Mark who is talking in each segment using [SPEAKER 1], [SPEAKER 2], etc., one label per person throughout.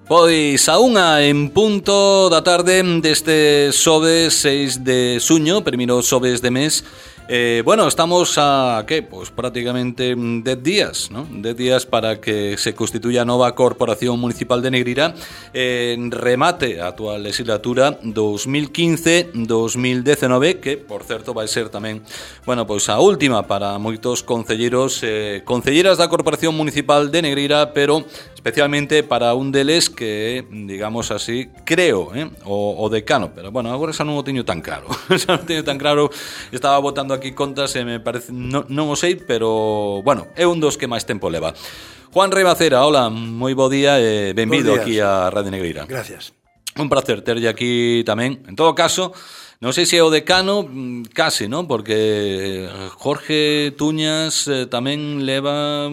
[SPEAKER 1] Pois a unha en punto da tarde deste xoves 6 de xuño, primeiro xoves de mes. Bueno, estamos a, ¿qué? Pues prácticamente 10 días, ¿no? 10 días para que se constituya a nova Corporación Municipal de Negreira en remate a actual legislatura 2015-2019, que, por certo, vai ser tamén, bueno, pois a última para moitos concelleiros, concelleiras da Corporación Municipal de Negreira, pero especialmente para un deles que, digamos así, creo, o decano, pero bueno, agora xa non o teño tan claro. Xa non teño tan claro, estaba botando aquí contas e me parece, non o sei, pero bueno, é un dos que máis tempo leva. Juan Rei Macera, hola, moi bo día e benvido aquí a Radio Negreira.
[SPEAKER 2] Gracias.
[SPEAKER 1] Un placer terlle aquí tamén. En todo caso, non sei se é o decano, case, non? Porque Jorge Tuñas tamén leva,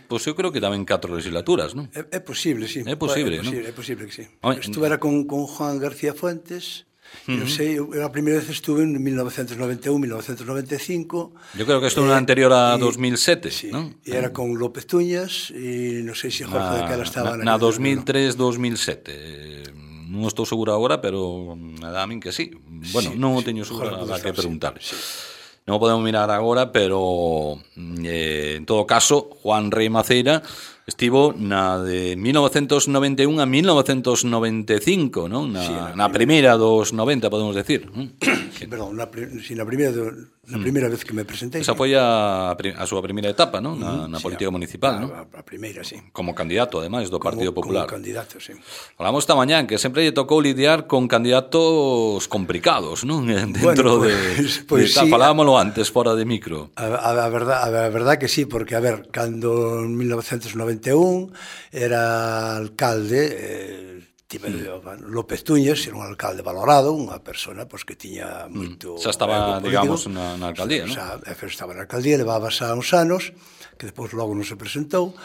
[SPEAKER 1] pois eu creo que tamén 4 legislaturas, non?
[SPEAKER 2] É posible, sí.
[SPEAKER 1] É posible, non?
[SPEAKER 2] É posible que sí. Estuvera con Juan García Fuentes. Non sei, eu a primeira vez estuve en 1991-1995.
[SPEAKER 1] Yo creo que estuve anterior a 2007,
[SPEAKER 2] sí,
[SPEAKER 1] ¿no?
[SPEAKER 2] E era con López Tuñas e non sei se Jorge de Cala estaba
[SPEAKER 1] na 2003-2007. Non estou seguro agora, pero a min que sí. Bueno, non o teño seguro a que preguntar.
[SPEAKER 2] Sí.
[SPEAKER 1] Non o podemos mirar agora, pero en todo caso, Juan Rei Maceira estivo na de 1991 a 1995, non? Na primeira dos 90, podemos decir.
[SPEAKER 2] Perdón, na primeira vez que me presentei.
[SPEAKER 1] Esa foi a súa primeira etapa, non? Na política municipal, non?
[SPEAKER 2] A primeira, sí.
[SPEAKER 1] Como candidato, además, do Partido Popular.
[SPEAKER 2] Como candidato, sí.
[SPEAKER 1] Falamos esta mañán que sempre lle tocou lidiar con candidatos complicados, non? Dentro
[SPEAKER 2] pues
[SPEAKER 1] sí. Falábamolo antes, fora de micro.
[SPEAKER 2] A verdad que sí, porque, a ver, cando en 1991 era alcalde, López Tuñas era un alcalde valorado, unha persona pois, que tiña moito...
[SPEAKER 1] Xa estaba, digamos, na alcaldía, non?
[SPEAKER 2] Xa estaba na alcaldía, levaba xa uns anos, que depois logo non se presentou.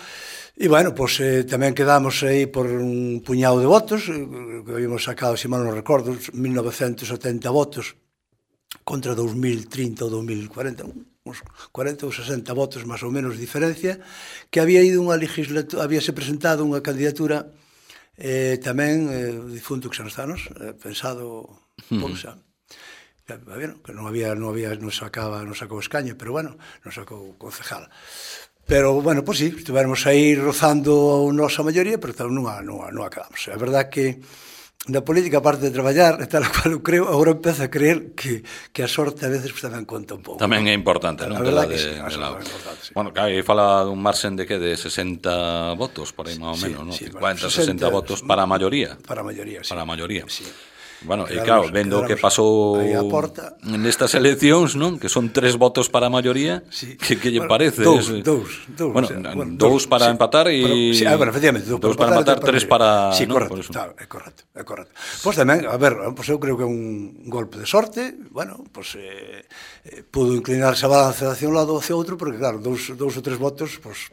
[SPEAKER 2] E, bueno, pois tamén quedamos aí por un puñado de votos, que habíamos sacado, se mal non recordo, 1970 votos contra 2030 ou 2040, uns 40 ou 60 votos máis ou menos de diferencia, que había ido unha legislatura, habíase presentado unha candidatura tamén difunto que xa nos anos, pensado por xa. Que non sacou escaño, pero bueno, non sacou concejal. Pero, bueno, pois sí, estivemos aí rozando a nosa maioría, pero non acabamos. É verdad que na política, aparte de traballar, tal cual eu creo, agora empezo a creer que a sorte a veces tamén conta un pouco.
[SPEAKER 1] Tamén é importante, non?
[SPEAKER 2] A verdad que sí, a sorte é importante, sí.
[SPEAKER 1] Bueno, aí fala dun marxen de que de 60 votos, por aí máis ou menos, non? 50, 60 votos para a maioría.
[SPEAKER 2] Para a maioría, sí.
[SPEAKER 1] Para a maioría.
[SPEAKER 2] Sí.
[SPEAKER 1] Bueno, e claro, vendo que pasou nestas eleccións, non? Que son 3 votos para a maioría,
[SPEAKER 2] sí.
[SPEAKER 1] Que lle parece?
[SPEAKER 2] Dous.
[SPEAKER 1] Bueno, dous para empatar e...
[SPEAKER 2] Sí, bueno, efectivamente,
[SPEAKER 1] dous para empatar, 3 para...
[SPEAKER 2] Sí, correcto, é correcto. Pois tamén, a ver, eu creo que é un golpe de sorte, bueno, pois pudo inclinarse a balanza hacia un lado ou hacia outro, porque claro, dous ou 3 votos, pois...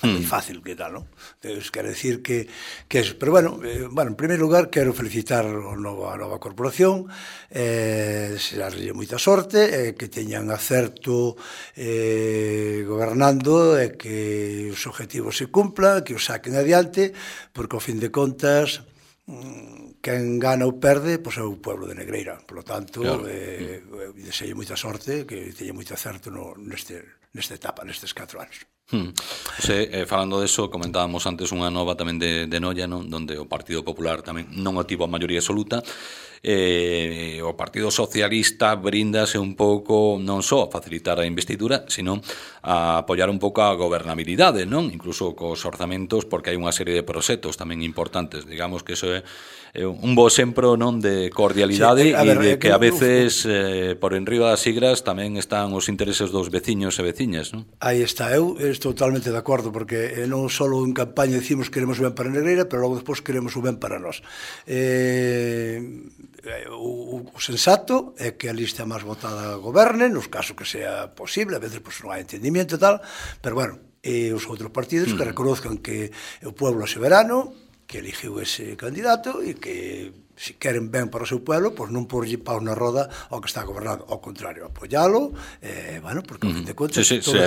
[SPEAKER 2] É fácil que tal, non? Quero decir que pero bueno, en primeiro lugar quero felicitar a nova corporación, desearlle moita sorte, que teñan acerto gobernando e que os objetivos se cumplan, que os saquen adiante, porque ao fin de contas quen gana ou perde, pois é o pueblo de Negreira. Por lo tanto, deseo moita sorte, que teña moito acerto nesta etapa, nestes 4 anos.
[SPEAKER 1] Falando deso, comentábamos antes unha nova tamén de Noia, non? Donde o Partido Popular tamén non obtivo a maioría absoluta. O Partido Socialista bríndase un pouco non só a facilitar a investidura, sino a apoiar un pouco a gobernabilidade, non? Incluso cos orzamentos, porque hai unha serie de proxectos tamén importantes. Digamos que iso é un bo exemplo, non, de cordialidade e de que a veces por enriba das sigras tamén están os intereses dos veciños e veciñas, non?
[SPEAKER 2] Aí está, eu estou totalmente de acordo, porque non só en campaña decimos que queremos o ben para Negreira, pero logo despois queremos o ben para nós. O sensato é que a lista máis votada goberne, nos casos que sea posible, a veces non hai entendimiento e tal, pero bueno, os outros partidos que reconozcan que o pueblo é soberano, que eligiu ese candidato e que se queren ben para o seu pueblo, pois non porlle paus na roda ao que está gobernado, ao contrario, apoialo, bueno, porque ao fin de contas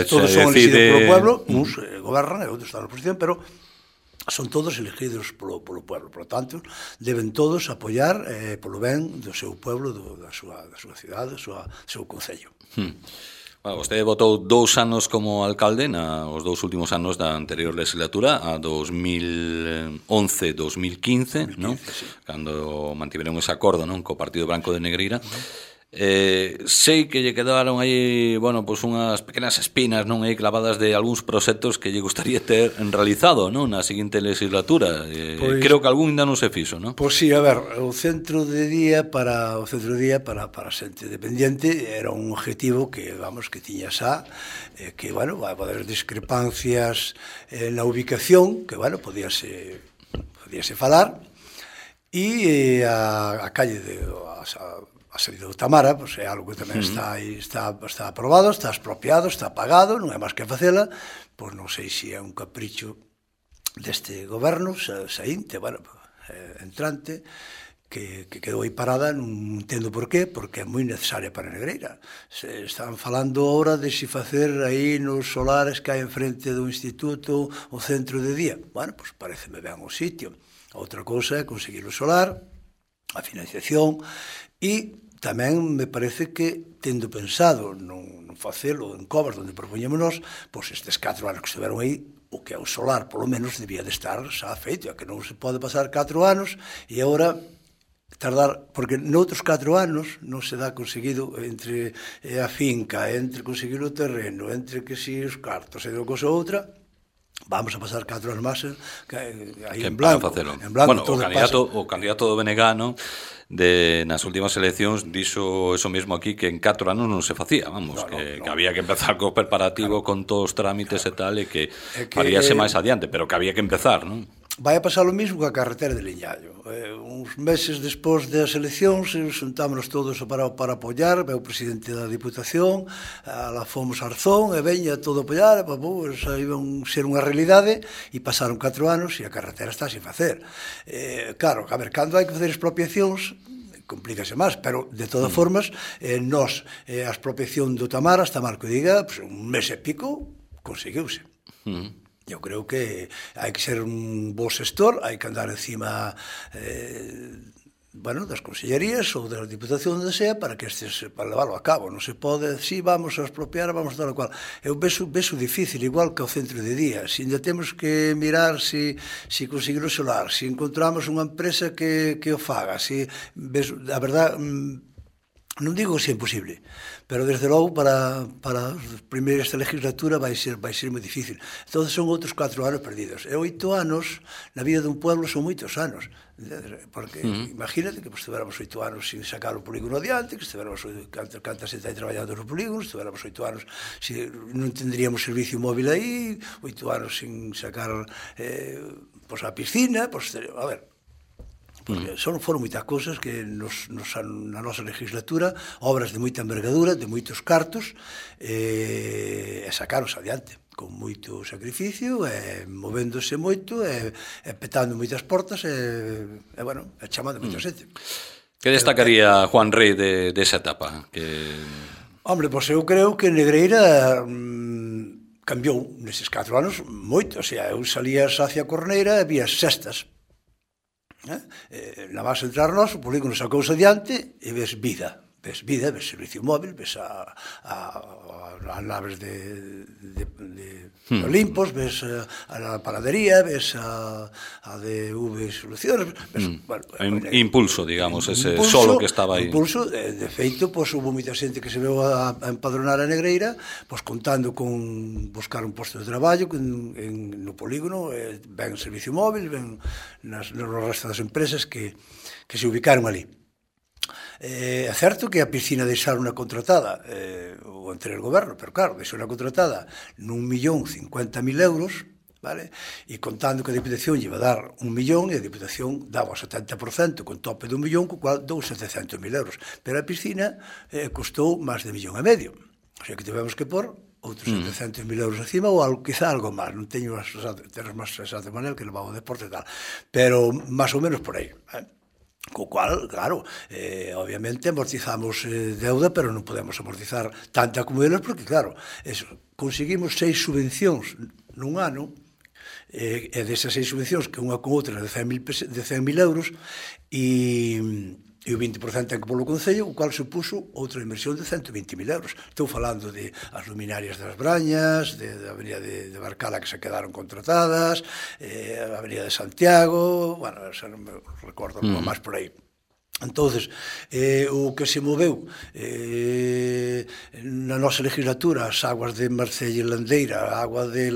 [SPEAKER 2] todos son elegidos polo pueblo, uns gobernan e outros están na oposición, pero son todos elegidos polo pueblo, por lo tanto, deben todos apoiar polo ben do seu pueblo, da súa cidade, do seu concello.
[SPEAKER 1] Bueno, vostede votou 2 anos como alcalde os 2 últimos anos da anterior legislatura, a 2011-2015, non? Sí. Cando mantiveron ese acordo, non, co Partido Branco de Negreira. Sei que lle quedaron aí, bueno, pois unhas pequenas espinas, non, aí clavadas de algúns proxectos que lle gustaría ter realizado, non, na seguinte legislatura. Pois, creo que algún ainda non se fixo, non?
[SPEAKER 2] Pois sí, a ver, o centro de día para xente dependiente era un objetivo que, vamos, que tiña xa, que, bueno, vai poder discrepancias na ubicación, que, bueno, podíase falar, e a calle de a salida do Tamara, pois é algo que tamén está aprobado, está expropiado, está pagado, non é máis que facela, pois non sei se é un capricho deste goberno saínte, bueno, entrante, que quedou aí parada, non entendo por qué, porque é moi necesaria para Negreira. Están falando ahora de se facer aí nos solares que hai enfrente do instituto o centro de día. Bueno, pois pareceme ben o sitio. Outra cousa é conseguir o solar, a financiación, e tamén me parece que, tendo pensado non facelo en Covas, onde propoñemos nós, pois estes 4 anos que estiveron aí, o que é o solar, polo menos, debía de estar xa feito, que non se pode pasar 4 anos, e agora tardar, porque noutros 4 anos non se dá conseguido entre a finca, entre conseguir o terreno, entre que si os cartos e de cosa outra, vamos a pasar 4 anos máis aí en blanco.
[SPEAKER 1] Bueno, o candidato do BNG, non? Nas últimas eleccións dixo eso mesmo aquí, que en 4 anos non se facía, vamos, que había que empezar co preparativo, con todos os trámites e tal, e que faríase máis adiante, pero que había que empezar, non?
[SPEAKER 2] Vai a pasar o mesmo coa carretera de Liñallo. Uns meses despois das eleccións, xuntámonos todos para apoiar, o presidente da Diputación, lá fomos a Arzón, e veña todo a apoiar, xa iban ser unha realidade, e pasaron 4 anos e a carretera está sin facer. Claro, a ver, cando hai que facer expropiacións, complícase máis, pero de todas formas, nós, a expropiación do Tamara, hasta mal que diga, un mes e pico, conseguiuse. Eu creo que hai que ser un bo xestor, hai que andar encima das consellerías ou da Diputación onde sea para leválo a cabo. Non se pode, si vamos a expropiar, vamos a tal o cual. Eu vexo difícil, igual que o centro de día. Se ainda temos que mirar se conseguir o solar, se encontramos unha empresa que o faga, a verdad, non digo que sea imposible, pero desde logo para as primeiras da legislatura vai ser moi difícil. Entón son outros 4 anos perdidos. E 8 anos na vida dun pueblo son moitos anos, porque imagínate que estiveramos 8 anos sin sacar o polígono adiante, que estiveramos cantas xente aí traballando no polígono, estiveramos 8 anos non tendríamos servicio móvil aí, 8 anos sin sacar a piscina, a ver, porque foron moitas cousas que na nosa legislatura, obras de moita envergadura, de moitos cartos, e sacaros adiante con moito sacrificio, movéndose moito, petando moitas portas, chamando moita xente.
[SPEAKER 1] Que destacaría Juan Rey desa etapa?
[SPEAKER 2] Hombre, pois eu creo que Negreira cambiou neses 4 anos moito, o sea, eu salías hacia Corneira e vías sextas. Na base entrar nós, o polígono sacouse adiante e ves vida, ves servicio móvil, ves a naves de Olimpos, ves a panadería, ves a DV Soluciones,
[SPEAKER 1] impulso, digamos, ese solo que estaba aí.
[SPEAKER 2] Impulso, de feito, houve moita xente que se veu a empadronar a Negreira, contando con buscar un posto de traballo no polígono, ven servicio móvil, ven no resto das empresas que se ubicaron ali. É certo que a piscina deixaron unha contratada o anterior goberno, pero claro, deixou unha contratada n'1.050.000 euros, vale? E contando que a Diputación lle iba a dar 1 millón e a Diputación daba o 70% con tope de 1 millón, co cual dou 700.000 euros, pero a piscina costou máis de 1,5 millón. O sea que tivemos que pôr outros 700.000 euros encima ou quizá algo máis, non teño as terras máis exactas de maneira que levaba o deporte e tal, pero máis ou menos por aí, co cual, claro, obviamente amortizamos deuda, pero non podemos amortizar tanta como eles, porque claro, conseguimos 6 subvencións nun ano, E desas 6 subvencións, que unha con outra de 100.000 euros, e o 20% ten que polo Concello, o cual supuso outra inversión de 120.000 euros. Estou falando de as luminarias das Brañas, da avenida de Barcala que se quedaron contratadas, a avenida de Santiago, bueno, xa non me recordo máis por aí. Entonces, o que se moveu na nosa legislatura, as aguas de Marcella e Landeira, a agua de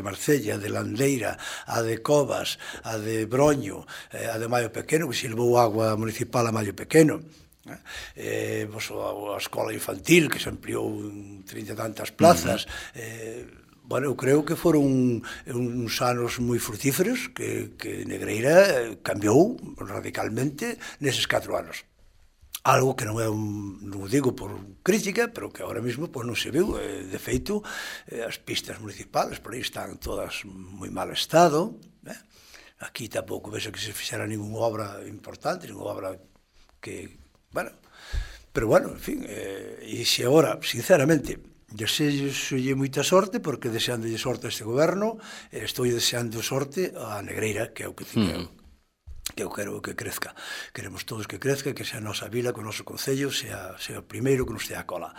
[SPEAKER 2] Marcella, a de Landeira, a de Covas, a de Broño, a de Maio Pequeno, que se levou agua municipal a Maio Pequeno, a escola infantil, que se ampliou en 30 e tantas plazas. Bueno, eu creo que foron uns anos moi frutíferos, que Negreira cambiou radicalmente neses 4 anos. Algo que non o digo por crítica, pero que ahora mesmo non se viu. De feito, as pistas municipales por aí están todas moi mal estado. Aquí tampouco vexo que se fixera ninguna obra importante, ninguna obra que... Bueno, pero bueno, en fin, e se agora, sinceramente, desexolle moita sorte, porque deseándolle sorte a este goberno, estou deseando sorte a Negreira, que é o que eu quero que crezca. Queremos todos que crezca, que sea a nosa vila, que o noso concello sea o primeiro que nos dé a cola.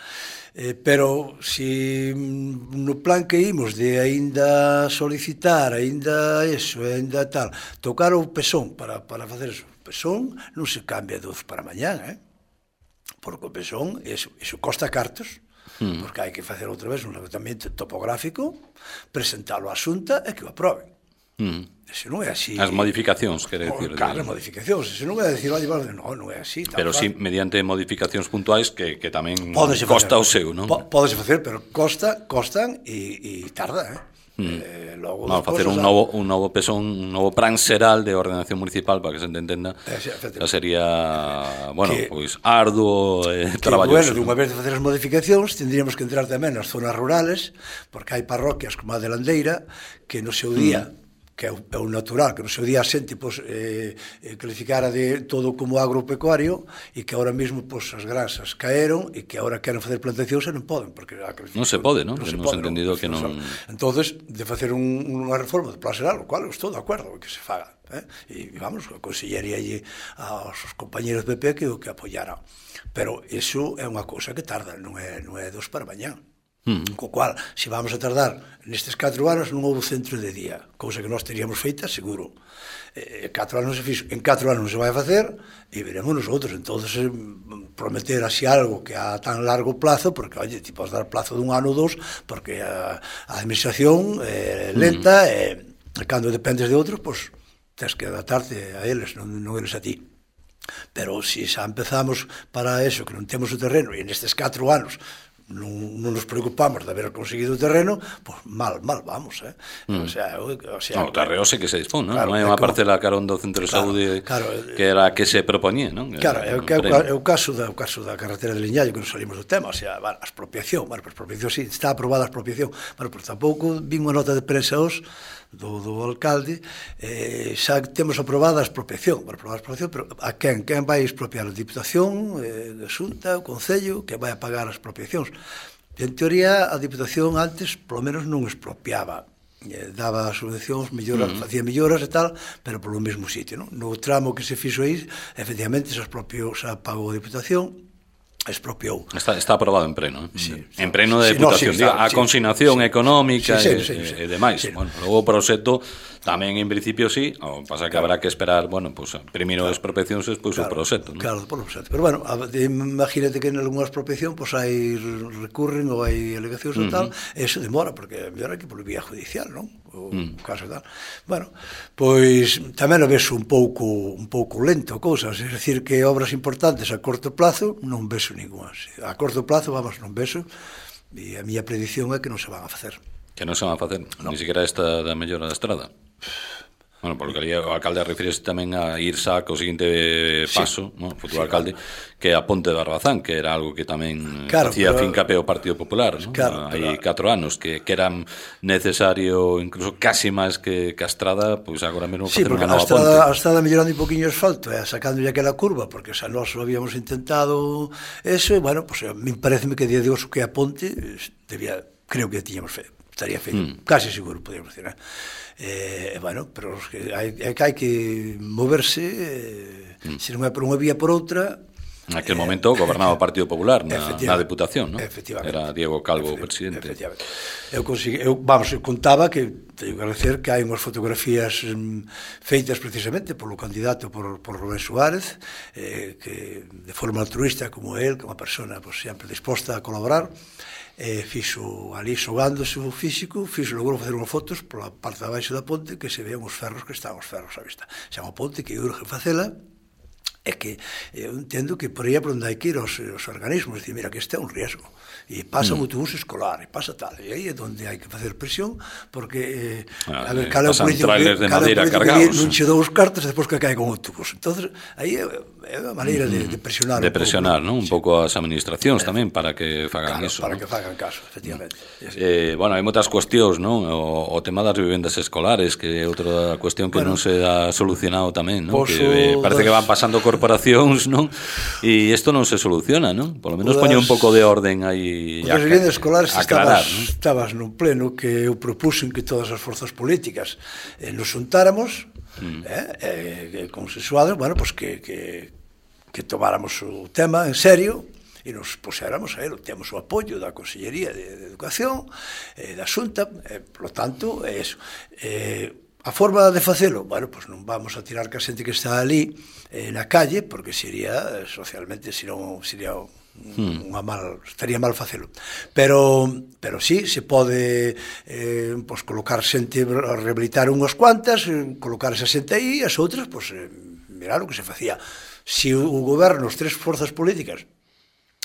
[SPEAKER 2] Pero se no plan que imos de aínda solicitar, aínda eso, aínda tal, tocar o pesón para facer eso, o pesón non se cambia de hoxe para mañán, porque o pesón, eso costa cartos, porque hai que facer outra vez un levantamento topográfico, presentalo á Xunta e que o aproben. Eso non é así.
[SPEAKER 1] As modificacións, quere dicir.
[SPEAKER 2] Claro, as modificacións. Eso non é dicir, non é así.
[SPEAKER 1] Pero sí, mediante modificacións puntuais que tamén costa o seu, non?
[SPEAKER 2] Pódese facer, pero costan e tarda,
[SPEAKER 1] Logo facer un novo pesón, un novo plan xeral de ordenación municipal, para que se entenda, sería, bueno, pois arduo e traballoso.
[SPEAKER 2] Bueno, unha vez de facer as modificacións, tendríamos que entrar tamén nas zonas rurales, porque hai parroquias como a de Landeira, que no seu día, que é o natural, que no seu día a xente calificara de todo como agropecuario, e que ahora mesmo as granxas caeron e que agora queren facer plantacións e non poden, porque
[SPEAKER 1] non se pode, non? Hemos entendido que non...
[SPEAKER 2] Entonces, de facer unha reforma de plan xeral, o cual estou de acordo que se faga, e vamos, aconsellaría aos compañeros do PP que o que apoyara, pero iso é unha cousa que tarda, non é dos para mañán. Co cual, se vamos a tardar nestes 4 anos, non houve centro de día, cousa que nós teríamos feita, seguro. 4 anos se fixo, en 4 anos non se vai facer, e veremos nosotros. Entonces, prometer así algo que a tan largo plazo, porque, oye, ti podes dar plazo dun ano ou 2, porque a administración é lenta, e cando dependes de outros, pois, tens que adaptarte a eles, non eles a ti. Pero se xa empezamos para eso, que non temos o terreno, e nestes 4 anos non nos preocupamos de haber conseguido o terreno, pois mal vamos, o
[SPEAKER 1] terreo sei que se dispón, non? Non hai unha parcela carón do centro de saúde que era a que se proponía, non?
[SPEAKER 2] Claro, é o caso da carretera de Liñallo, que non salimos do tema, a expropiación, a expropiación, sí, está aprobada a expropiación, pero tampouco vin unha nota de prensa do alcalde, xa temos aprobada a expropiación, pero a quen vai expropiar? A Diputación, a Xunta, o Concello, que vai a pagar as expropiacións? En teoría, a Diputación antes, polo menos, non expropiaba, daba subvencións, facía melloras e tal, pero polo mesmo sitio, non? No tramo que se fixo aí, efectivamente, xa pagou a Diputación, expropiou.
[SPEAKER 1] Está aprobado en pleno, en pleno de Deputación, a consignación económica e demais. Logo o proxecto tamén en principio pasa que habrá que esperar, primeiro as expropiacións e despois o proxecto.
[SPEAKER 2] Claro, por proxecto. Pero bueno, imagínate que en algunha expropiación hai recurren ou hai alegacións e tal, e eso demora, porque mellor hai que por vía judicial, non? O caso tal. Bueno, pois tamén o ves un pouco lento cousas, é dicir que obras importantes a corto plazo non ves ninguna. A corto plazo, non vexo, e a miña predicción é que non se van a facer.
[SPEAKER 1] Que non se van a facer? Ni siquiera esta da mellora da estrada? Bueno, porque o alcalde refírese tamén a ir xa co seguinte paso, o futuro alcalde, que é a Ponte de Barbazán, que era algo que tamén facía fincape o Partido Popular, hai 4 anos, que era necesario, incluso casi máis que a estrada, pois agora mesmo facer unha nova ponte.
[SPEAKER 2] A estrada mellorando un poquinho o asfalto, sacándolle aquela curva, porque xa nós habíamos intentado eso, e, bueno, me pareceme que día de hoxe que a ponte, creo que tiñamos fe. estaría feito, casi seguro, podríamos decir, bueno, pero hai que moverse, se non é por unha vía por outra.
[SPEAKER 1] Naquel momento gobernaba o Partido Popular na Deputación, non? Era Diego Calvo o presidente.
[SPEAKER 2] Efectivamente. Eu contaba que teño que agradecer que hai unhas fotografías feitas precisamente polo candidato por Rubén Suárez, que de forma altruista como él, que é unha persona sempre disposta a colaborar, fixo ali xogándose o físico, logrou facer unhas fotos pola parte de abaixo da ponte que se vean os ferros que están os ferros á vista. Xa unha ponte que urge facela, é que eu entendo que por aí é por onde hai que ir os organismos, dicir, mira, que este é un riesgo, e pasa un autobús escolar, e pasa tal, e aí é onde hai que facer presión, porque a ver, cal é o político que non che dou os cartas despois que cae con o autobús. Entonces, aí é a maneira de presionar.
[SPEAKER 1] De presionar, non? Un pouco as administracións tamén para que fagan iso.
[SPEAKER 2] Para que fagan caso, efectivamente.
[SPEAKER 1] Bueno, hai moitas cuestións, non? O tema das vivendas escolares, que é outra cuestión que non se ha solucionado tamén, non? Que parece que van pasando corporacións, non? E isto non se soluciona, non? Por lo menos poñe un pouco de orden aí
[SPEAKER 2] a vivendas escolares estabas nun pleno que eu propuxen que todas as forzas políticas nos xuntáramos consensuados, bueno, pues que tomáramos o tema en serio e nos poséramos a él. Temos o apoio da Consellería de Educación, da Xunta, por lo tanto, é eso. A forma de facelo, bueno, pues non vamos a tirar que a xente que está ali na calle, porque sería socialmente, senón sería estaría mal facelo. Pero sí, se pode pues, colocar xente, rehabilitar unhas cuantas, colocar esa xente aí, as outras, pues, mirar o que se facía. Se o goberno, as tres forzas políticas,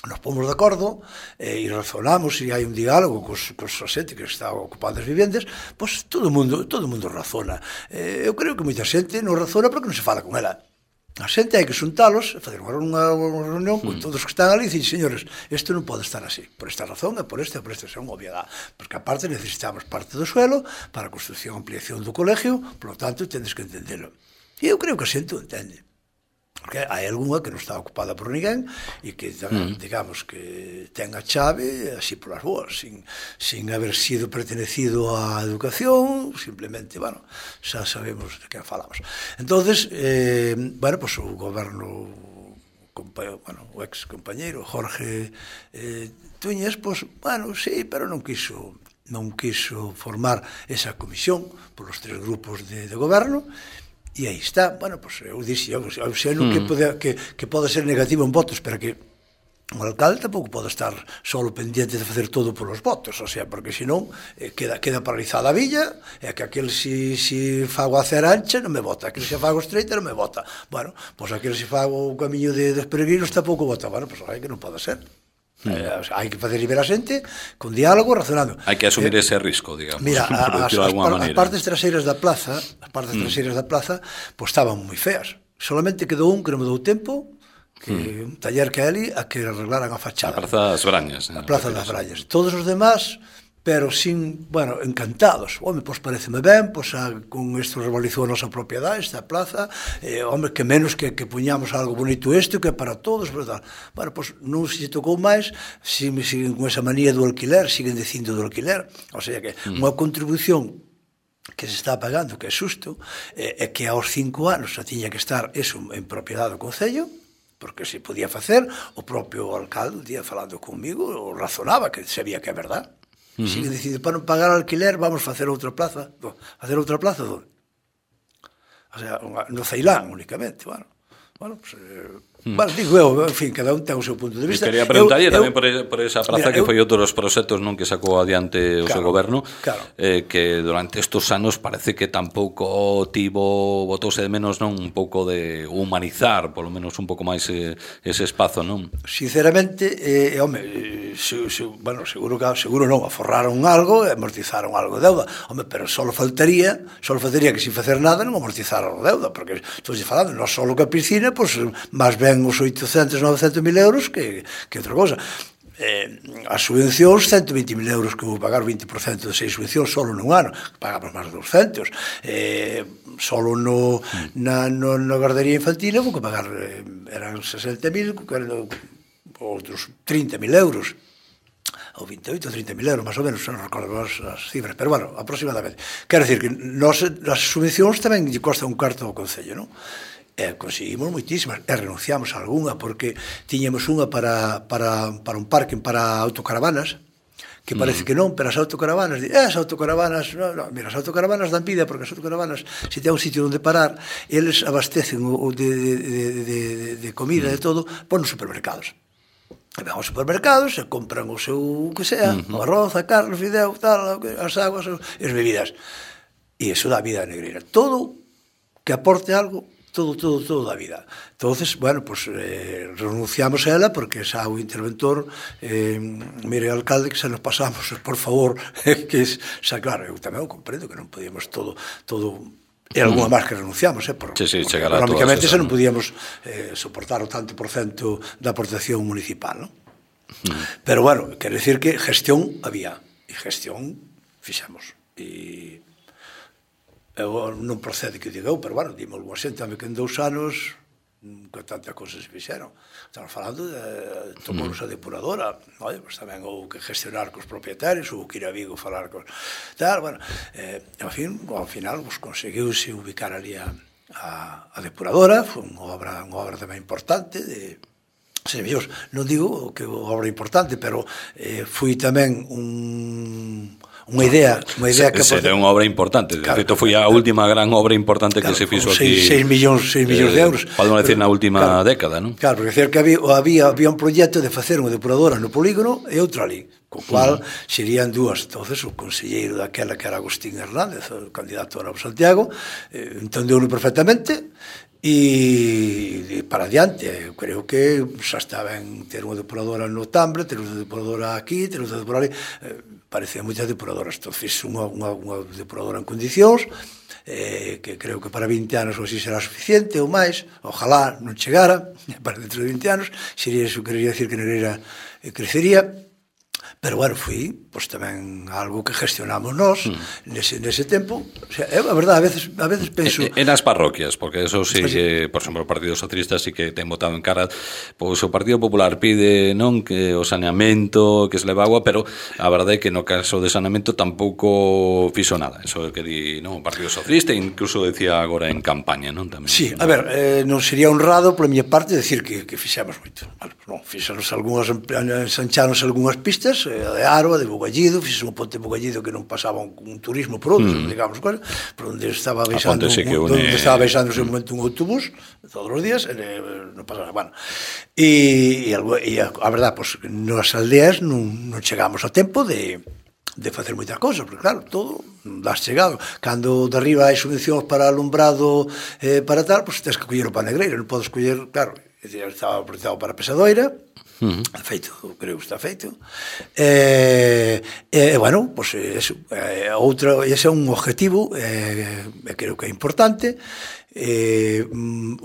[SPEAKER 2] nos pomos de acordo e razonamos e hai un diálogo cos xente que está ocupando as vivendas, pois todo o mundo razona. Eu creo que moita xente non razona porque non se fala con ela. A xente hai que xuntalos, facer unha reunión con todos que están ali e dicir, señores, isto non pode estar así, por esta razón e por esta, é unha obviedade, porque aparte necesitamos parte do suelo para a construcción e ampliación do colegio, por lo tanto, tendes que entendelo. E eu creo que a xente o entende. Porque hai algunha que non está ocupada por ninguén e que, digamos, que ten a chave así polas boas, sin haber sido pertenecido á educación, simplemente, bueno, xa sabemos de que falamos. Entonces, bueno, pues o goberno, bueno, o ex compañeiro Jorge Tuñes, pues, bueno, sí, pero non quiso formar esa comisión polos tres grupos de goberno. E aí está, bueno, pues eu dixo, eu sei que pode ser negativo en votos, pero que o alcalde tampouco pode estar solo pendiente de facer todo polos votos, o sea, porque senón queda paralizada a villa, e que aquel si fago a cera ancha non me vota, aquel se fago estreita non me vota. Bueno, pois aquel se fago o camiño dos peregrinos tampouco vota. Bueno, pois hai que non pode ser. Hai que facer liberar a xente con diálogo, razonando.
[SPEAKER 1] Hai que asumir ese risco, digamos.
[SPEAKER 2] Mira, as partes traseiras da plaza, pois estaban moi feas. Solamente quedou un que non me dou tempo, que un taller que hai ali, a que arreglaran a fachada.
[SPEAKER 1] A Praza das Brañas.
[SPEAKER 2] A Praza das Brañas. Todos os demás, pero sin, bueno, encantados. Home, pois pareceme ben, pois con isto revalorizou a nosa propiedade, esta plaza, home, que menos que puñamos algo bonito isto, que para todos, pero tal. Bueno, pois non se tocou máis, siguen con esa manía do alquiler, siguen dicindo do alquiler, o sea que unha contribución que se está pagando, que é xusto, é que aos 5 anos xa tiña que estar eso en propiedade do Concello, porque se podía facer, o propio alcalde, un día falando comigo, razonaba que sabía que é verdade. Sigue dicindo, para non pagar alquiler vamos facer outra plaza. Facer outra plaza onde? O sea, no Ceilán únicamente, bueno, pues, bueno, digo eu, en fin, cada un ten o seu punto de vista.
[SPEAKER 1] Quería preguntalle tamén por esa praza, que foi outro dos proxectos non que sacou adiante o seu goberno, que durante estes anos parece que tampouco botouse de menos, non, un pouco de humanizar, polo menos un pouco máis ese espazo, non?
[SPEAKER 2] Sinceramente, home, bueno, seguro non, aforraron algo e amortizaron algo de deuda, home, pero só faltaría que sin facer nada non amortizaron a deuda, porque estou falando, non só que a piscina, pois, máis ben os 800, 900 mil euros que outra cosa. As subvencións, 120.000 euros que vou pagar, 20% de 6 subvencións solo nun ano, pagamos máis de 200. Solo na guardería infantil vou que pagar, eran 60.000, outros 30.000 euros. ou 28 ou 30.000 euros, máis ou menos, non recordo as cifras, pero bueno, aproximadamente. Quero dicir que as subvencións tamén lle costa un cuarto ao Concello, non? Conseguimos moitísimas, e renunciamos a algunha, porque tiñamos unha para un parque para autocaravanas, que parece que non, pero as autocaravanas, as autocaravanas, no, mira, as autocaravanas dan vida, porque as autocaravanas, se ten un sitio onde parar, eles abastecen de comida e todo, pon nos supermercados. E van aos supermercados e compran o seu, que sea, o arroz, a carne, o fideo, tal, as aguas, as bebidas. E iso dá vida a Negreira. Todo que aporte algo, todo da vida. Entonces, bueno, pues renunciamos a ela porque xa o interventor, mire, alcalde, que se nos pasamos, por favor, que xa, claro, eu tamén o comprendo que non podíamos todo e algunha máis que renunciamos, porque económicamente xa non podíamos soportar o tanto por cento da aportación municipal, non? Pero, bueno, quero dicir que gestión había, e gestión fixamos, e eu non procede que diga eu, pero bueno, dime algo xente que en 2 anos que tantas cousas se fixeron. Estamos falando de tomounos a depuradora, pues tamén houve que gestionar cos propietarios, houve que ir a Vigo falar con tal, bueno, ao final conseguiuse ubicar ali a depuradora, foi unha obra tamén importante de servicios, non digo que obra importante, pero foi tamén unha idea que
[SPEAKER 1] será unha obra importante, de feito foi a última gran obra importante que se fixo aquí,
[SPEAKER 2] 6 millóns de euros,
[SPEAKER 1] podemos decir na última década, non?
[SPEAKER 2] Claro, porque decir que había un proxecto de facer unha depuradora no polígono e outra ali, co cual serían dúas. Entonces o conselleiro daquela, que era Agustín Hernández, o candidato a Santiago, entendeu-no perfectamente e para adiante. Eu creo que xa está ben ter unha depuradora no Tambre, ter unha depuradora aquí, ter unha depuradora ali, parecían moitas depuradoras. Entón, fiz unha depuradora en condicións, que creo que para 20 anos ou así será suficiente ou máis, ojalá non chegara, para dentro de 20 anos, sería iso, quería decir que Negreira crecería. Pero, bueno, foi pues, tamén algo que gestionamos nós nese tempo. O sea, a verdade, a veces penso...
[SPEAKER 1] E nas parroquias, porque eso sí que, por exemplo, o Partido Socialista sí que ten votado en cara, pois o Partido Popular pide non que o saneamento, que se leva agua, pero a verdade é que no caso de saneamento tampouco fixo nada. Eso que di, non, o Partido Socialista, incluso decía agora en campaña, non? Tamén.
[SPEAKER 2] Sí, a ver, non sería honrado pola miña parte decir que fixemos moito. Bueno, non, fixemos algunhas, ensancháronse algunhas pistas, de Aro, de Bugallido, fixes un ponte de Bugallido que non pasaba un turismo por outro, digamos, por onde estaba baixándose un momento un autobús todos os días, non pasaba, bueno. E a verdade, pues, nas aldeas non chegamos a tempo de facer moitas cousas, porque claro, todo das chegado. Cando de arriba hai subvencións para alumbrado, para tal, pues tens que coller o para Negreira, non podes coller, claro, estaba proyectado para Pesadoira, feito, creo que está feito, bueno, pues ese é un objetivo, creo que é importante.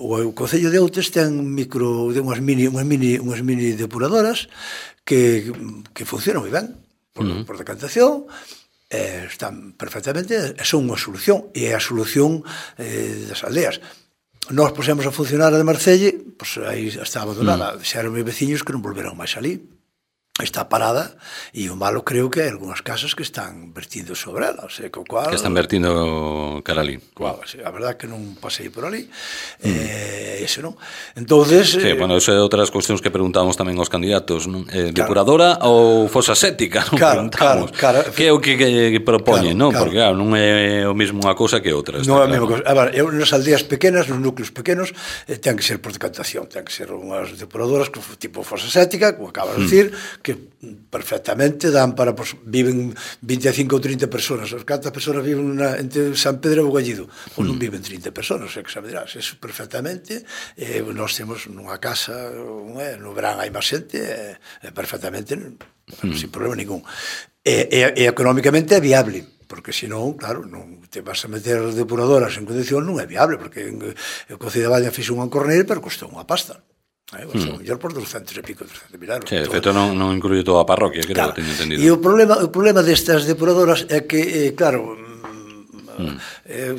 [SPEAKER 2] O Concello de Outes ten unhas mini depuradoras que funcionan moi ben por decantación, están perfectamente, son unha solución, e é a solución das aldeas. Nós pusemos a funcionar a de Marcelle, pois aí está abandonada, xeron meus veciños que non volveron máis ali. Está parada, e o malo creo que hai algunhas casas que están vertindo sobre ela, o sea, co cual...
[SPEAKER 1] Que están vertindo cara ali.
[SPEAKER 2] Cual, a verdade que non pasei por ali, ese non. Entonces...
[SPEAKER 1] Sí, bueno, eso é outras cuestións que preguntábamos tamén aos candidatos, non? Depuradora ou fosa séptica, non?
[SPEAKER 2] Claro.
[SPEAKER 1] Que é o que propoñen, non? Porque, claro, non é o mesmo unha cousa que outra.
[SPEAKER 2] Non é a mesma cousa. Eu, nas aldeas pequenas, nos núcleos pequenos, ten que ser por decantación, ten que ser unhas depuradoras tipo fosa séptica, como acabas de decir, que perfectamente dan para, pues, viven 25 ou 30 personas. Cantas personas viven entre San Pedro e Bugallido? Pois non viven 30 personas, que xa me dirás, eso perfectamente. Nós temos nunha casa, no verán hai máis xente, perfectamente, sin problema ningún. E económicamente é viable, porque senón, claro, non te vas a meter depuradoras en condición, non é viable, porque o Concello de Baña fixo un encorneiro, pero costou unha pasta. Mellor por 200 e pico, 300 mil euros.
[SPEAKER 1] Sí, de feito non incluye toda a parroquia, creo, teño entendido.
[SPEAKER 2] E o problema destas depuradoras é que, claro,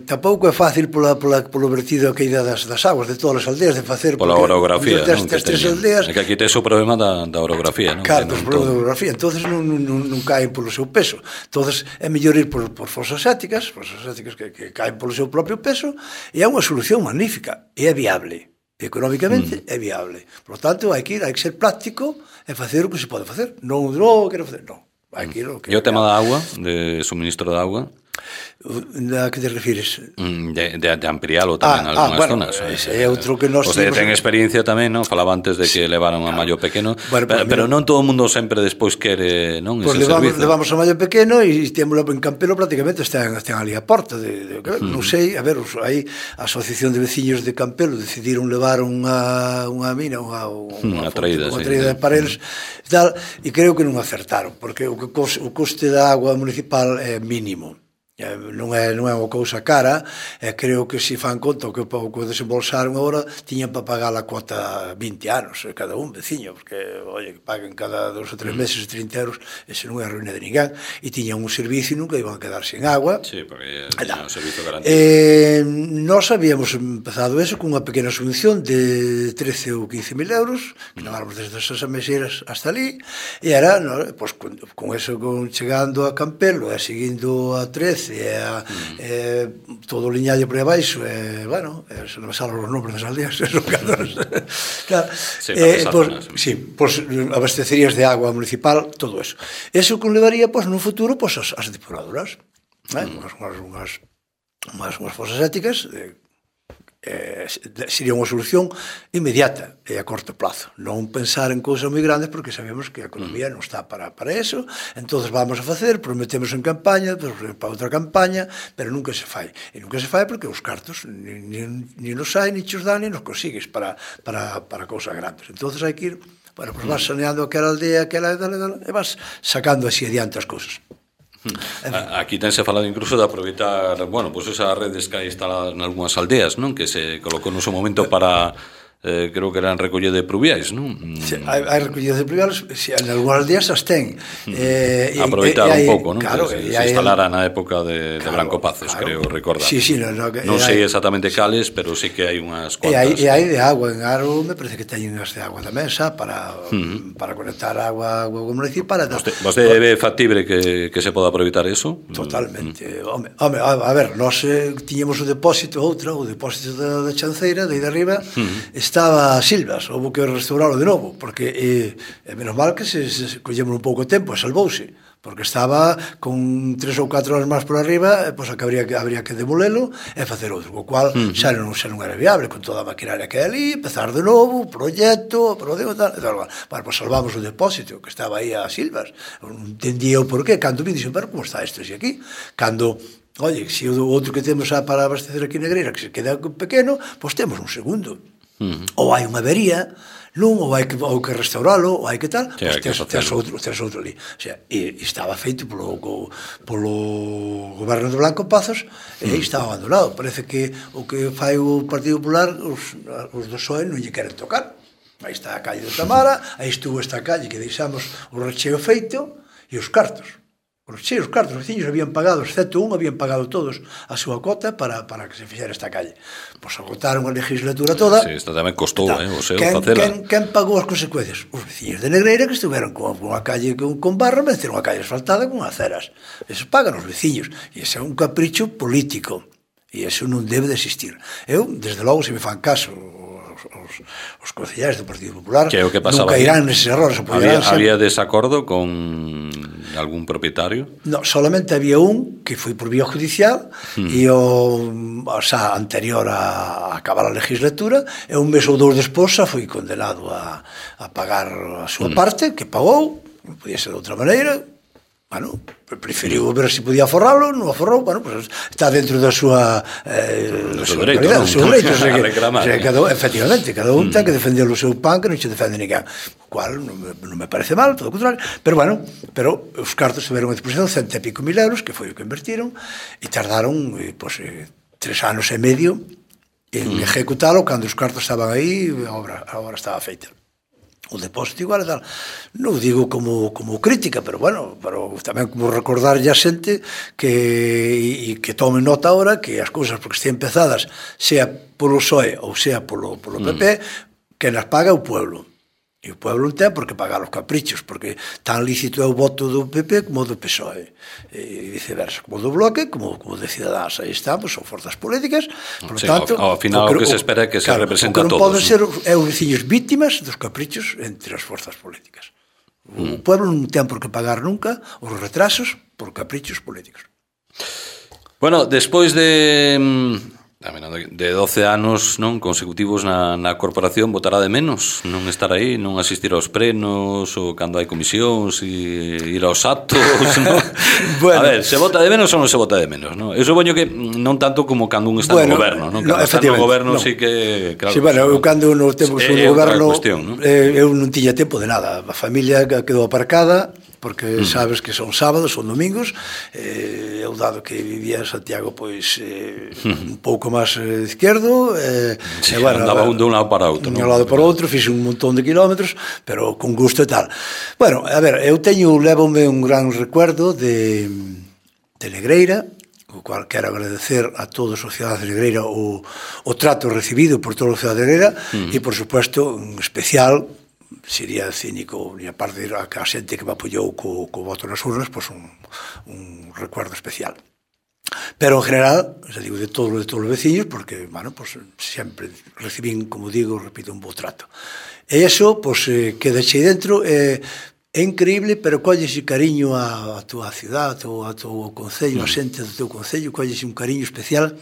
[SPEAKER 2] Tampouco é fácil polo vertido que ida das aguas de todas as aldeas de facer
[SPEAKER 1] pola orografía, non?
[SPEAKER 2] Das tres aldeas.
[SPEAKER 1] É que aquí tes o problema da orografía, non?
[SPEAKER 2] Claro, o problema da orografía, entonces non caen polo seu peso. Entonces é mellor ir por fosas sépticas que caen polo seu propio peso, e é unha solución magnífica, e é viable. Económicamente é viable. Por lo tanto, hai que ser práctico e facer o que se pode facer. Non quero facer, non. Hai que ir o que...
[SPEAKER 1] E o tema da agua, de suministro de agua?
[SPEAKER 2] A que te refires?
[SPEAKER 1] De amplialo tamén en algunhas zonas.
[SPEAKER 2] É outro que nós
[SPEAKER 1] temos... ten experiencia tamén, non? Falaba antes de que levaron a Mallo Pequeno, pero non todo o mundo sempre despois quere, non, ese servicio.
[SPEAKER 2] Levamos a Mallo Pequeno e témolo en Campelo, prácticamente están ali a porta. Non sei, a ver, aí a Asociación de Veciños de Campelo decidiron levar unha mina, unha traída de paredes e tal, e creo que non acertaron, porque o coste da agua municipal é mínimo. Non é unha cousa cara, creo que se fan conta o que desembolsaron agora tiñan para pagar a cuota 20 anos cada un veciño, porque oye, que paguen cada 2 ou 3 meses 30 euros, ese non é a ruína de ninguén, e tiñan un servicio e nunca iban a quedar sin agua.
[SPEAKER 1] Sí, porque tiñan un servicio garantido.
[SPEAKER 2] Nós habíamos empezado eso con unha pequena subvención de 13 ou 15 mil euros, que leváramos desde esas meseiras hasta ali, e era, pues, con eso, chegando a Campelo e seguindo a 13 todo o liñalle por aí abaixo, bueno, se non me salen os nombres das aldeas, claro, pues abastecerías de agua municipal, todo eso. Eso conlevaría, pues, no futuro, pues, as depuradoras, unhas fosas éticas, sería unha solución inmediata e a corto plazo, non pensar en cousas moi grandes, porque sabemos que a economía non está para eso. Entonces vamos a facer, prometemos en campaña, para outra campaña, pero nunca se fai, e nunca se fai porque os cartos ni nos hai, ni chos dan, ni nos consigues para cousas grandes. Entonces hai que ir, bueno, pues vas saneando aquela aldea, e vas sacando así adiante as cousas.
[SPEAKER 1] Aquí tense falado incluso de aproveitar, bueno, pues esas redes que hai instaladas en algunhas aldeas, non? Que se colocou no seu momento para creo que eran recolle de pluviais, non?
[SPEAKER 2] Sí, hai recollidas de pluviais, en algunhas aldeas as ten.
[SPEAKER 1] Aproveitar un pouco, non? Claro, que se instalara na época de Branco Pazos, creo recordar.
[SPEAKER 2] Sí,
[SPEAKER 1] non sei exactamente cales, pero sí que hai unhas cuantas.
[SPEAKER 2] E hai de agua en Aro, me parece que teñen as de agua tamén, xa, para conectar agua municipal.
[SPEAKER 1] Vostede ve factible que se poda aproveitar eso?
[SPEAKER 2] Totalmente. Home, a ver, nós tiñemos o depósito da Chanceira, de aí de arriba, estaba a Silvas, houve que restaurarlo de novo, porque menos mal que se collemos un pouco tempo e salvouse, porque estaba con 3 ou 4 horas máis por arriba, pois habría que demolelo e facer outro, co cual xa non era viable, con toda a maquinaria que hai ali, empezar de novo, proxecto, tal. Bueno, pois salvamos o depósito que estaba aí a Silvas, non entendía o porqué, cando me dixo, pero como está isto así aquí? Cando oye, se o outro que temos para abastecer aquí na Negreira que se queda pequeno, pois temos un segundo. Ou hai unha avería, non, ou hai que restauralo, ou hai que tal, pois tes outro ali. O sea, e estaba feito polo goberno de Blanco Pazos e estaba abandonado. Parece que o que fai o Partido Popular, os do PSOE non lle queren tocar. Aí está a calle de Tamara, aí estuvo esta calle que deixamos o recheo feito e os cartos. Os cartos, os veciños habían pagado, excepto un, habían pagado todos a súa cota para que se fixera esta calle. Pois agotaron a legislatura toda.
[SPEAKER 1] Sí, esta tamén costou, o seu facela.
[SPEAKER 2] Quen pagou as consecuencias? Os veciños de Negreira, que estuveron con unha calle con barro, meteron unha calle asfaltada con aceras. Eso pagan os veciños. E ese é un capricho político. E eso non debe de existir. Eu, desde logo, se me fan caso os concelleiros do Partido Popular, nunca irán neses errores.
[SPEAKER 1] Había desacordo con algún propietario?
[SPEAKER 2] No, solamente había un que foi por vía judicial e anterior a acabar a legislatura, e un mes ou dous despois foi condenado a pagar a súa parte, que pagou, non podía ser de outra maneira. Bueno, preferiu ver se podía aforralo, non aforrou, bueno, pues está dentro da súa
[SPEAKER 1] dereito,
[SPEAKER 2] efectivamente, cada un ten que defender o seu pan, que non se defende ninguén, o cual non me parece mal, todo o contrario, pero bueno, os cartos tiveron a disposición 100 e pico mil euros, que foi o que invertiron, e tardaron 3 anos e medio en ejecutalo, cando os cartos estaban aí, a obra estaba feita. o depósito igual e tal. Non digo como crítica, pero bueno, pero tamén como recordarlle a xente que tome nota ahora que as cousas porque estén empezadas, sea polo PSOE ou sea polo PP, que nas paga o pueblo. E o pueblo non ten por que pagar os caprichos, porque tan lícito é o voto do PP como do PSOE, e viceversa, como do Bloque, como de Ciudadanos. Aí estamos, son forzas políticas, por tanto...
[SPEAKER 1] Ao final o que se espera é que se representa a todos.
[SPEAKER 2] O que non poden ser é os veciños vítimas dos caprichos entre as forzas políticas. O pueblo non ten por que pagar nunca os retrasos por caprichos políticos.
[SPEAKER 1] Bueno, despois de 12 anos non consecutivos na corporación, botará de menos non estar aí, non asistir aos plenos ou cando hai comisións e ir aos actos, non? Bueno, a ver, se vota de menos ou non se vota de menos, non? Eu supoño que non tanto como cando un está no goberno, non? Cando está no goberno sí que, claro.
[SPEAKER 2] Sí, bueno, eu cando no tempo que no goberno eu non tiña tempo de nada, a familia quedou aparcada porque sabes que son sábados, son domingos, eu dado que vivía en Santiago pois un pouco máis izquierdo,
[SPEAKER 1] bueno, andaba un de un lado para outro,
[SPEAKER 2] un lado para outro, fixe un montón de kilómetros, pero con gusto e tal. Bueno, a ver, eu levome un gran recuerdo de Negreira, o cual quero agradecer a todos os cidadanos de Negreira o trato recibido por todos os cidadanos de Negreira e, por supuesto, en especial, sería cínico e aparte a xente que me apoiou co voto nas urnas, pois un recuerdo especial. Pero en general, xa digo, de todos os veciños, porque, bueno, pois sempre recibín, como digo, repito, un bo trato. E iso, pois, queda chei dentro, é increíble, pero colles cariño a túa cidade, a teu concello, a xente do teu concello, colles un cariño especial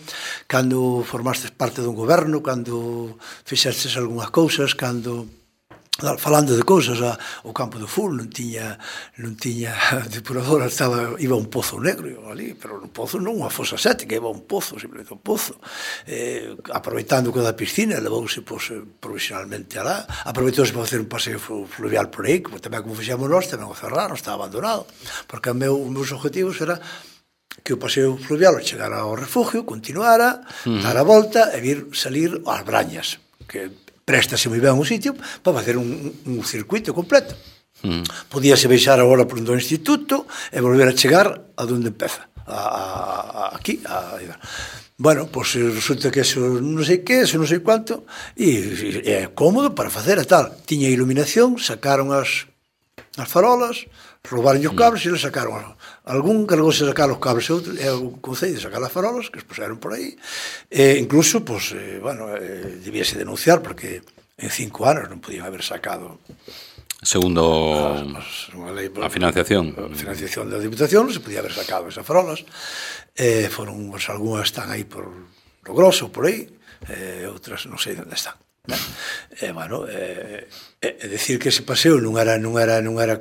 [SPEAKER 2] cando formastes parte dun goberno, cando fixestes algunhas cousas, cando... falando de cousas, o campo de fútbol non tiña depuradora, iba un pozo negro ali, pero un pozo non unha fosa séptica, iba un pozo, simplemente un pozo, aproveitando que da piscina, levouse provisionalmente alá, aproveitouse para facer un paseo fluvial por aí, tamén como fixemos nós, tamén o cerraron, estaba abandonado, porque os meus objetivos era que o paseo fluvial chegara ao refugio, continuara, dar a volta e salir ás Brañas, que préstase moi ben o sitio para facer un circuito completo. Podíase baixar agora por do instituto e volver a chegar a onde empeza, aquí. Bueno, pois resulta que eso non sei que, eso non sei cuánto, e é cómodo para facer e tal. Tiña iluminación, sacaron as farolas, roubaron os cables e eles sacaron algún cargóse sacar os cables e o concello de sacar as farolas que os puseron por aí e incluso, pois, bueno, debíase denunciar porque en 5 anos non podían haber sacado
[SPEAKER 1] segundo a financiación
[SPEAKER 2] da Diputación, non se podía haber sacado esas farolas, foron, pues, algunhas están aí por lo grosso, por aí, outras non sei onde están. Bueno, decir que ese paseo non era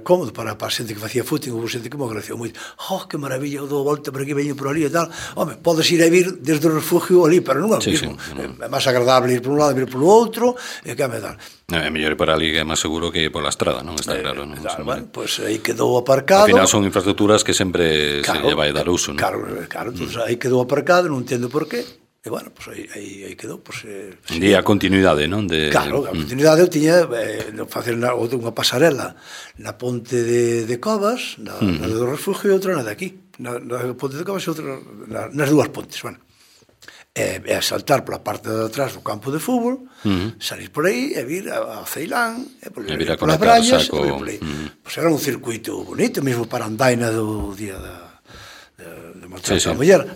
[SPEAKER 2] cómodo para a xente que facía footing, houve xente que me agradeció moito, que maravilla, eu dou volta por aquí, veño por ali e tal. Home, podes ir a vir desde o refugio ali, pero non é o mismo, é máis agradable ir por un lado e vir por outro, e que me tal.
[SPEAKER 1] É mellor ir por ali, que é máis seguro que ir por la estrada, non? Está claro, non?
[SPEAKER 2] Bueno, pois aí quedou aparcado.
[SPEAKER 1] Ao final son infraestructuras que sempre se lle vai dar uso, non?
[SPEAKER 2] Claro, aí quedou aparcado, non entendo por qué. E, bueno, pois aí quedou.
[SPEAKER 1] Un día a continuidade, non?
[SPEAKER 2] Claro, a continuidade eu tiña facer unha pasarela na ponte de Covas, na do refugio, e outra na de aquí. Na ponte de Covas e outra nas dúas pontes, bueno. E saltar pola parte de atrás do campo de fútbol, salir por aí e vir a Ceilán, e vir a polas Brañas, e vir por aí. Pois era un circuito bonito, mesmo para andaina do día de Maltrato da Muller.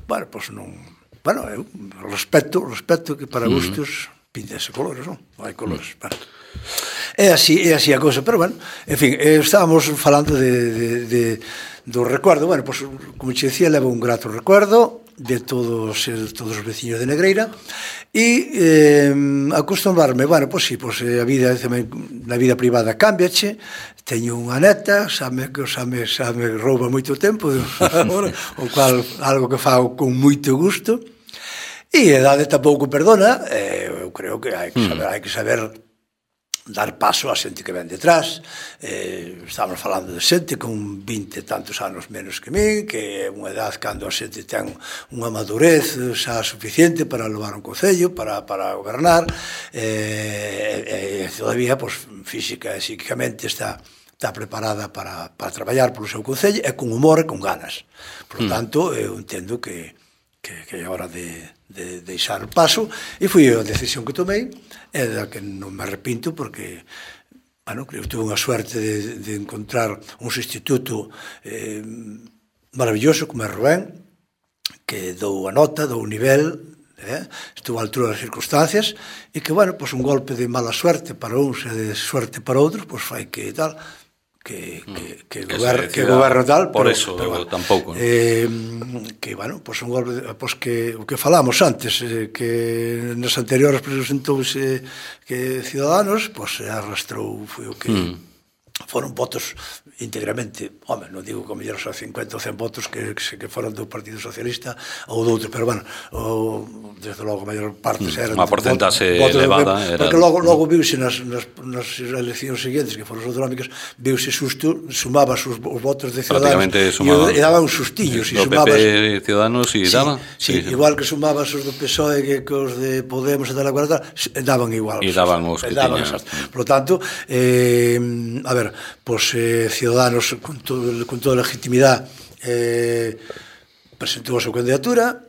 [SPEAKER 2] Bueno, pois non... Bueno, eu respeto que para gustos píntense colores, non? Hai colores, bueno. É así a cousa, pero bueno, en fin, estábamos falando do recuerdo, bueno, pues, como che decía, levo un grato recuerdo de todos os veciños de Negreira e acostumbrarme, bueno, pues sí, pues a vida na vida privada cambiache, teño unha neta, xa me rouba moito tempo, o cual algo que fago con moito gusto. E a idade tampouco perdona, eu creo que hai que saber dar paso a xente que ven detrás. Estamos falando de xente con 20 e tantos anos menos que min, que é unha edad cando a xente ten unha madurez xa suficiente para levar un concello, para gobernar, e todavía, pues, física e psíquicamente está preparada para traballar polo seu concello, e con humor e con ganas. Por tanto, eu entendo que é hora de deixar o paso, e foi a decisión que tomei, e da que non me arrepinto, porque, bueno, creo que tuve unha suerte de encontrar un instituto maravilloso como é Rubén, que dou a nota, dou o nivel, estou á altura das circunstancias, e que, bueno, pues un golpe de mala suerte para uns e de suerte para outros, pues fai que tal, que goberno tal,
[SPEAKER 1] por eso tampouco,
[SPEAKER 2] que, bueno, pues un golpe, pues que o que falamos antes, que nas anteriores presentouse que Ciudadanos, pues arrastrou, foi o que foron votos íntegramente, home, non digo que mellor xa 50 ou 100 votos que foron do Partido Socialista ou do outro, pero, bueno, desde logo a maior parte eran
[SPEAKER 1] unha porcentaxe elevada,
[SPEAKER 2] porque logo viuse nas eleccións seguintes, que foron as autonómicas, viuse susto, sumabas os votos de Ciudadanos e daban uns sustillos, e
[SPEAKER 1] sumabas PP, Ciudadanos e daba,
[SPEAKER 2] igual que sumabas os do PSOE que os de Podemos e tal, daban igual,
[SPEAKER 1] e daban os que tiñan.
[SPEAKER 2] Por lo tanto, a ver, pois Ciudadanos con toda a legitimidade presentou a súa candidatura,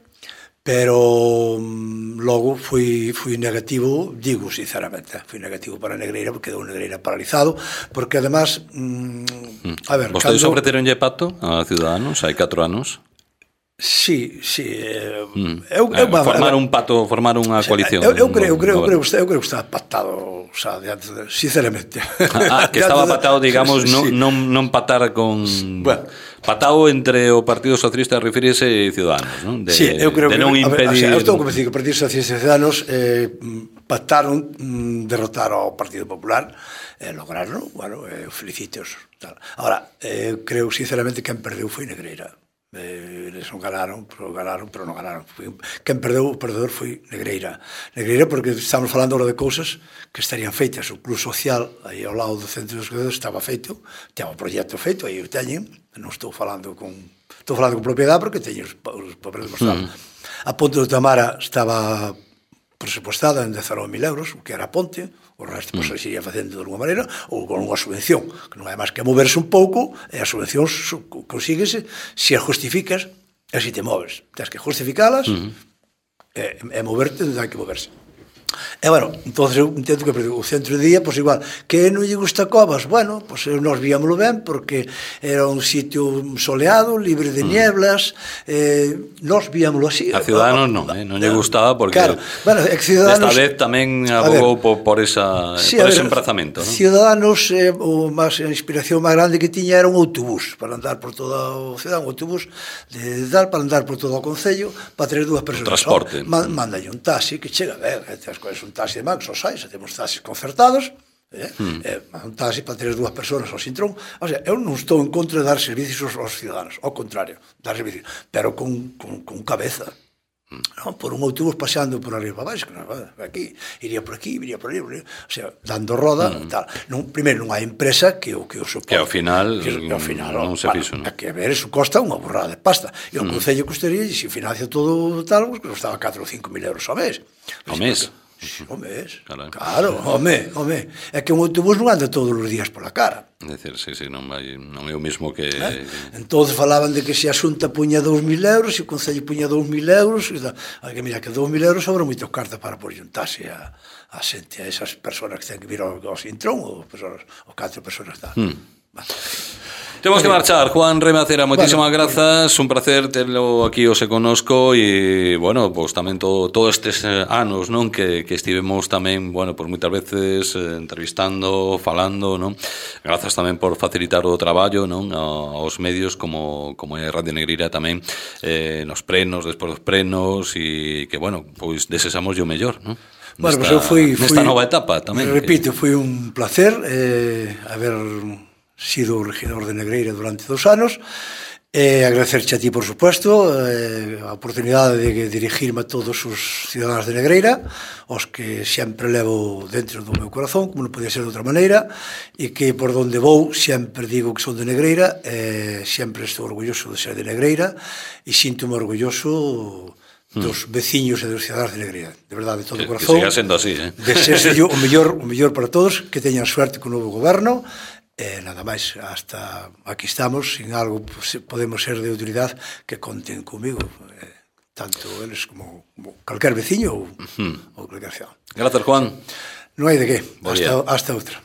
[SPEAKER 2] pero logo fui negativo, digo sinceramente, fui negativo para Negreira, porque quedou Negreira paralizado, porque además, a ver,
[SPEAKER 1] vostedes ofreceronlle pacto a Ciudadanos hai 4 anos?
[SPEAKER 2] Sí.
[SPEAKER 1] Formar un pacto, formar unha coalición.
[SPEAKER 2] Eu creo que está pactado, xa, sinceramente.
[SPEAKER 1] Que estaba pactado, digamos, non pactar con... Pactado entre o Partido Socialista, refírese, e Ciudadanos, non?
[SPEAKER 2] Sí, eu creo que
[SPEAKER 1] non impedir...
[SPEAKER 2] Eu estou convencido que o Partido Socialista e Ciudadanos pactaron derrotar ao Partido Popular, lograron, bueno, felicíteos. Ahora, creo sinceramente que quen perdeu foi Negreira. Eles non ganaron, pero non ganaron. Quen perdeu, o perdedor foi Negreira, porque estamos falando agora de cousas que estarían feitas. O club social aí ao lado do centro dos Codedos estaba feito, ten o proxecto feito, aí o teñen, non estou falando con propiedade, porque teñen os papeles demostrados. A Ponte do Tamara estaba presupostada en 19.000 euros, o que era a ponte, o resto se iría facendo de alguma maneira, ou con unha subvención, que non é máis que moverse un pouco, e a subvención consíguese se a justificas e se te moves. Tens que justificalas e moverte onde hai que moverse. E, bueno, entonces eu entendo que o centro de día, pois igual, que non lle gusta Covas, bueno, pois nós víamoslo ben, porque era un sitio soleado, libre de nieblas, nós víamoslo así.
[SPEAKER 1] A Ciudadanos non lle gustaba, porque
[SPEAKER 2] esta
[SPEAKER 1] vez tamén abogou por ese emprazamento, non?
[SPEAKER 2] Ciudadanos, a inspiración máis grande que tiña era un autobús, para andar por toda a cidade, un autobús para andar por todo o concello, para ter 2 persoas.
[SPEAKER 1] Transporte.
[SPEAKER 2] Mándalle un taxi, que chega ben, es un taxi de Max, os sai, xa temos taxis concertados, un taxi para ter 2 persoas ao Sintrón. O sea, eu non estou en contra de dar servicios aos ciudadanos, ao contrario, dar servicios, pero con cabeza. Por un autobús paseando por arriba para baixo, aquí, iría por aquí, iría por ali, o sea, dando roda, tal. Primeiro, non hai empresa que o soporte.
[SPEAKER 1] Que ao final non se fixo, non?
[SPEAKER 2] Que a ver, eso costa unha borrada de pasta. E o Concello costaría, e se financia todo tal, que costaba 4 ou 5 mil euros ao mes.
[SPEAKER 1] Ao mes?
[SPEAKER 2] O mes, claro, home. É que un autobús non anda todos os días pola cara.
[SPEAKER 1] É dicir, non é o mesmo que...
[SPEAKER 2] Entón falaban de que se a Xunta puña 2.000 euros, se o Concello puña 2.000 euros, que mira, que 2.000 euros sobra moito carta para porlluntarse a xente, a esas persoas que ten que vir ao Sintrón, ou 4 persoas tal.
[SPEAKER 1] Temos que marchar. Juan Remacera, moitísimas grazas, un placer terlo aquí hoxe conosco, e, bueno, pois tamén todos estes anos, non, que estivemos tamén, bueno, pois moitas veces entrevistando, falando, non? Grazas tamén por facilitar o traballo, non, aos medios como é Radio Negreira tamén, nos prenos, despois dos prenos, e que, bueno, pois desexamos o mellor, non?
[SPEAKER 2] Bueno, pois eu fui
[SPEAKER 1] nesta nova etapa tamén.
[SPEAKER 2] Repito, foi un placer haber sido o regidor de Negreira durante 2 anos, Agradecerche a ti, por supuesto, a oportunidade de dirigirme a todos os cidadáns de Negreira, os que sempre levo dentro do meu corazón, como non podía ser de outra maneira, e que por donde vou sempre digo que son de Negreira, sempre estou orgulloso de ser de Negreira, e sinto-me orgulloso dos veciños e dos cidadáns de Negreira, de verdade, de todo o corazón.
[SPEAKER 1] Que siga sendo así,
[SPEAKER 2] Desexo o mellor para todos, que teñan suerte co novo goberno, nada máis, hasta aquí estamos, sin algo podemos ser de utilidade, que conten comigo, tanto eles como calquer veciño ou calquer cidadán.
[SPEAKER 1] Grazas, Juan.
[SPEAKER 2] Non hai de que, hasta outra.